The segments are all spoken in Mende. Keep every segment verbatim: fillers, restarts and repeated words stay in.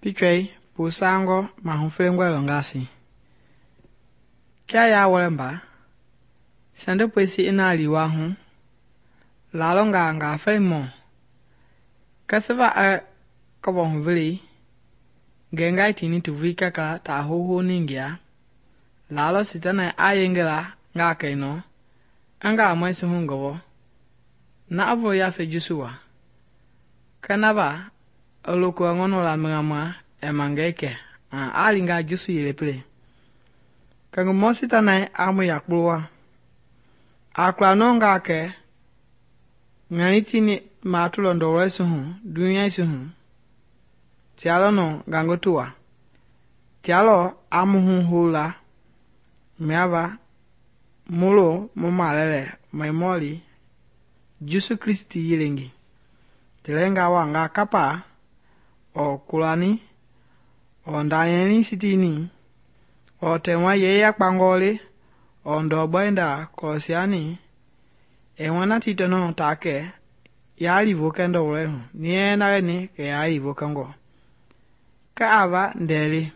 Pichwei pusango mahuflengwe longasi. Kia ya walemba, sende pwesi ina liwa hu, lalonga nga felimo. Kaseva a kobo huvili, gengai tini tuvui kaka ta hoho ningia, lalo sitana a yengela nga kaino, anga mwesi hungovo, na avo ya fejusuwa. Kanava, oloku ngono la mngamwa emangeke, a alinga jusu yelepele. Kangu mosita na amu yakbulwa. Akla nonga ke, nganiti ni matulo ndore suhu, dunia suhu. Tialo no gangotua. Tialo amu hu hula, meava, mulo mumalele, maimoli, Jusu Kristi yilengi. Tilenga wanga kapa, o kulani, o ndayeni sitini, o tewa yeya kpangoli, o ndoboenda kolosiani, e wana titono take, yali vokendo ulehu, nie naleni ke yali vokango. Ka ava ndeli,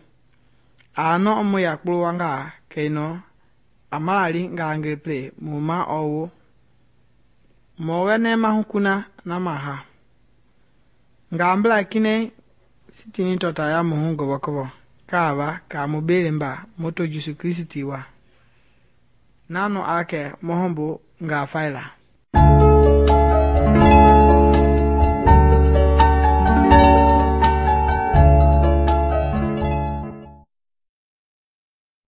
ano omu yakbulu wanga keino, amalali nga angleple, muma owo. Mwene mahukuna na maha. Nga ambla kine sitini tota ya muhu gobo kobo. Kava ka mobile mba moto Jesu Kristi wa. Nano ake mohombo nga faila.